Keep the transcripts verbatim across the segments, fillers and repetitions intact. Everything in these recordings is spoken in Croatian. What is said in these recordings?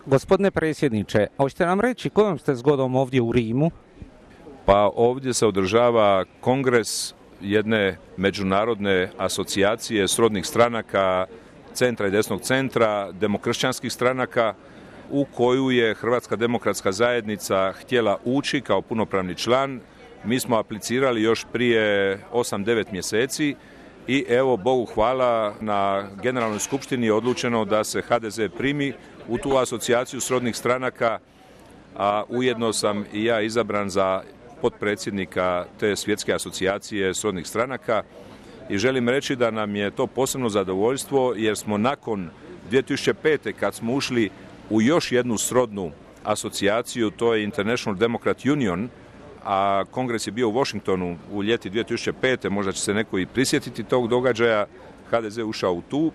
Gospodine predsjedniče, hoćete nam reći kojom ste zgodom ovdje u Rimu? Pa ovdje se održava kongres jedne međunarodne asocijacije srodnih stranaka, centra i desnog centra, demokršćanskih stranaka, u koju je Hrvatska demokratska zajednica htjela ući kao punopravni član. Mi smo aplicirali još prije osam devet mjeseci i evo, Bogu hvala, na Generalnoj skupštini je odlučeno da se ha de ze primi u tu asocijaciju srodnih stranaka, a ujedno sam i ja izabran za potpredsjednika te svjetske asocijacije srodnih stranaka i želim reći da nam je to posebno zadovoljstvo jer smo nakon dvije tisuće pete kad smo ušli u još jednu srodnu asocijaciju, to je International Democrat Union, a kongres je bio u Washingtonu u ljeti dvije tisuće pete, možda će se neko i prisjetiti tog događaja, ha de ze ušao u tu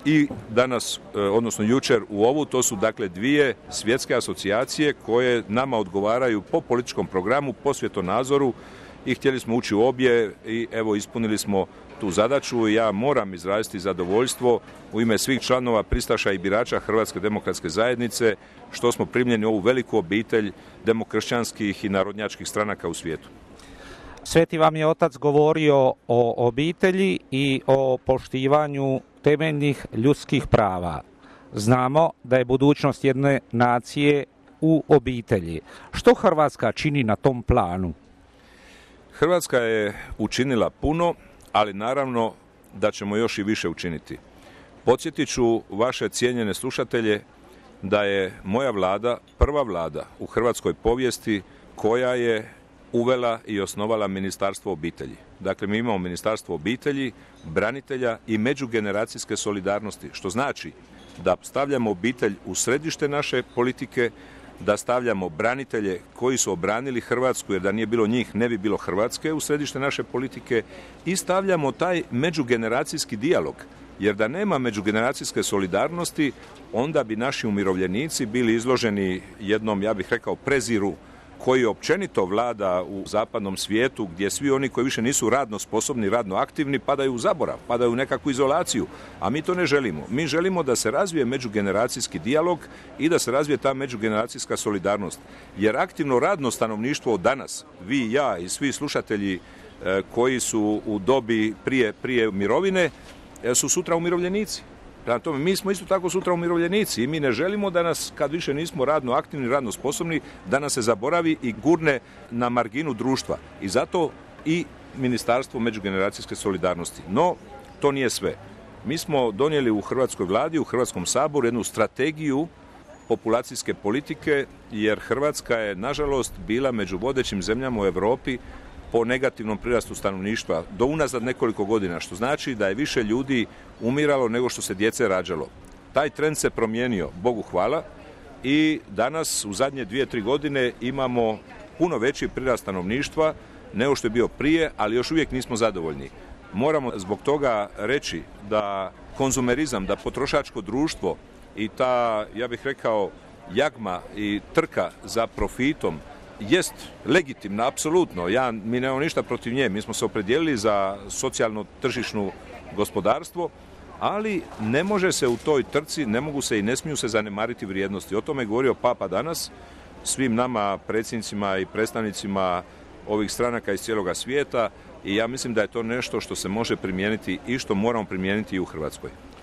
i danas, odnosno jučer u ovu, to su dakle dvije svjetske asocijacije koje nama odgovaraju po političkom programu, po svjetonazoru i htjeli smo ući u obje i evo ispunili smo tu zadaću i ja moram izraziti zadovoljstvo u ime svih članova, pristaša i birača Hrvatske demokratske zajednice što smo primljeni u ovu veliku obitelj demokršćanskih i narodnjačkih stranaka u svijetu. Sveti vam je otac govorio o obitelji i o poštivanju temeljnih ljudskih prava. Znamo da je budućnost jedne nacije u obitelji. Što Hrvatska čini na tom planu? Hrvatska je učinila puno, ali naravno da ćemo još i više učiniti. Podsjetit ću vaše cijenjene slušatelje da je moja vlada prva vlada u hrvatskoj povijesti koja je uvela i osnovala Ministarstvo obitelji. Dakle, mi imamo Ministarstvo obitelji, branitelja i međugeneracijske solidarnosti, što znači da stavljamo obitelj u središte naše politike, da stavljamo branitelje koji su obranili Hrvatsku, jer da nije bilo njih ne bi bilo Hrvatske u središte naše politike, i stavljamo taj međugeneracijski dijalog, jer da nema međugeneracijske solidarnosti, onda bi naši umirovljenici bili izloženi jednom, ja bih rekao, preziru koji općenito vlada u zapadnom svijetu, gdje svi oni koji više nisu radno sposobni, radno aktivni, padaju u zaborav, padaju u nekakvu izolaciju, a mi to ne želimo. Mi želimo da se razvije međugeneracijski dijalog i da se razvije ta međugeneracijska solidarnost. Jer aktivno radno stanovništvo danas, vi i ja i svi slušatelji e, koji su u dobi prije, prije mirovine, e, su sutra umirovljenici. Prema tome, mi smo isto tako sutra umirovljenici i mi ne želimo da nas, kad više nismo radno aktivni, radno sposobni, da nas se zaboravi i gurne na marginu društva. I zato i Ministarstvo međugeneracijske solidarnosti. No, to nije sve. Mi smo donijeli u Hrvatskoj vladi, u Hrvatskom saboru jednu strategiju populacijske politike, jer Hrvatska je, nažalost, bila među vodećim zemljama u Europi po negativnom prirastu stanovništva do unazad nekoliko godina, što znači da je više ljudi umiralo nego što se djece rađalo. Taj trend se promijenio, Bogu hvala, i danas u zadnje dvije, tri godine imamo puno veći prirast stanovništva nego što je bio prije, ali još uvijek nismo zadovoljni. Moramo zbog toga reći da konzumerizam, da potrošačko društvo i ta, ja bih rekao, jagma i trka za profitom jest legitimna, apsolutno. Ja, mi nemamo ništa protiv nje. Mi smo se opredijelili za socijalno tržišno gospodarstvo, ali ne može se u toj trci, ne mogu se i ne smiju se zanemariti vrijednosti. O tome je govorio Papa danas svim nama, predsjednicima i predstavnicima ovih stranaka iz cijeloga svijeta, i ja mislim da je to nešto što se može primijeniti i što moramo primijeniti i u Hrvatskoj.